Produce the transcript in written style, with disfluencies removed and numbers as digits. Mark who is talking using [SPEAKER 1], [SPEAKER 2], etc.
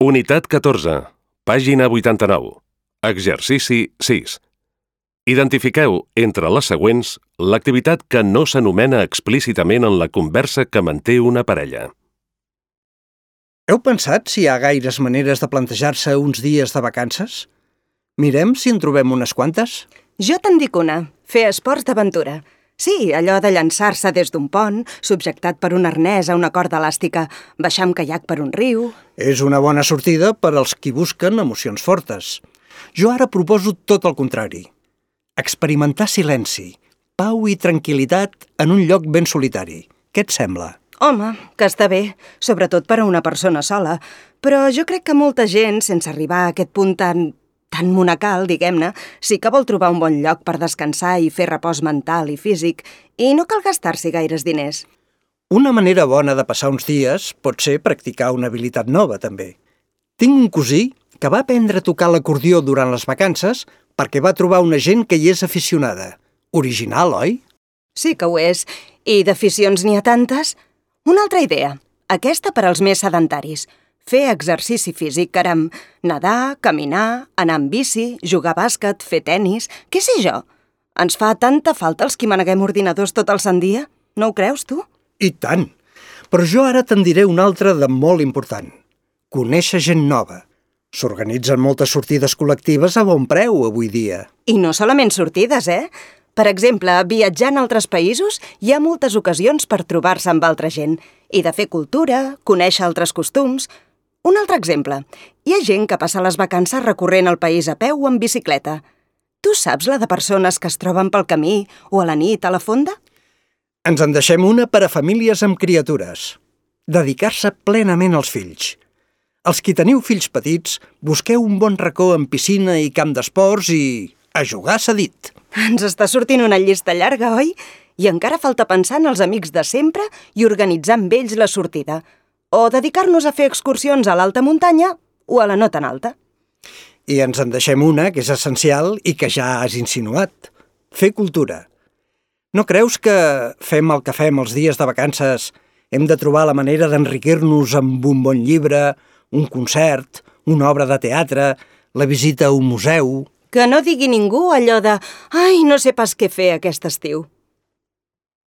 [SPEAKER 1] Unitat 14, pàgina 89. Exercici 6. Identifiqueu entre les següents l'activitat que no s'anomena explícitament en la conversa que manté una parella.
[SPEAKER 2] Heu pensat si hi ha gaires maneres de plantejar-se uns dies de vacances? Mirem si en trobem unes quantes.
[SPEAKER 3] Jo te'n dic una, fer esports d'aventura. Sí, allò de llançar-se des d'un pont, subjectat per un arnès a una corda elàstica, baixar amb caiac per un riu...
[SPEAKER 2] És una bona sortida per als qui busquen emocions fortes. Jo ara proposo tot el contrari. Experimentar silenci, pau i tranquil·litat en un lloc ben solitari. Què et sembla?
[SPEAKER 3] Home, que està bé, sobretot per a una persona sola, però jo crec que molta gent, sense arribar a aquest punt tan monacal, diguem-ne, sí que vol trobar un bon lloc per descansar i fer repòs mental i físic, i no cal gastar-s'hi gaires diners.
[SPEAKER 2] Una manera bona de passar uns dies pot ser practicar una habilitat nova, també. Tinc un cosí que va aprendre a tocar l'acordió durant les vacances perquè va trobar una gent que hi és aficionada. Original, oi?
[SPEAKER 3] Sí que ho és. I d'aficions n'hi ha tantes. Una altra idea, aquesta per als més sedentaris. Fer exercici físic, caram. Nedar, caminar, anar amb bici, jugar a bàsquet, fer tennis... Què sé jo? Ens fa tanta falta els qui maneguem ordinadors tot el sant dia? No ho creus, tu?
[SPEAKER 2] I tant! Però jo ara te'n diré una altra de molt important. Conèixer gent nova. S'organitzen moltes sortides col·lectives a bon preu avui dia.
[SPEAKER 3] I no solament sortides, eh? Per exemple, viatjant a altres països hi ha moltes ocasions per trobar-se amb altra gent i de fer cultura, conèixer altres costums... Un altre exemple. Hi ha gent que passa les vacances recorrent el país a peu o en bicicleta. Tu saps la de persones que es troben pel camí o a la nit a la fonda?
[SPEAKER 2] Ens en deixem una per a famílies amb criatures. Dedicar-se plenament als fills. Els qui teniu fills petits, busqueu un bon racó amb piscina i camp d'esports i... a jugar s'ha dit.
[SPEAKER 3] Ens està sortint una llista llarga, oi? I encara falta pensar en els amics de sempre i organitzar amb ells la sortida. O dedicar-nos a fer excursions a l'alta muntanya o a la no tan alta.
[SPEAKER 2] I ens en deixem una que és essencial i que ja has insinuat. Fer cultura. No creus que fem el que fem els dies de vacances hem de trobar la manera d'enriquir-nos amb un bon llibre, un concert, una obra de teatre, la visita a un museu...
[SPEAKER 3] Que no digui ningú allò de «Ai, no sé pas què fer aquest estiu».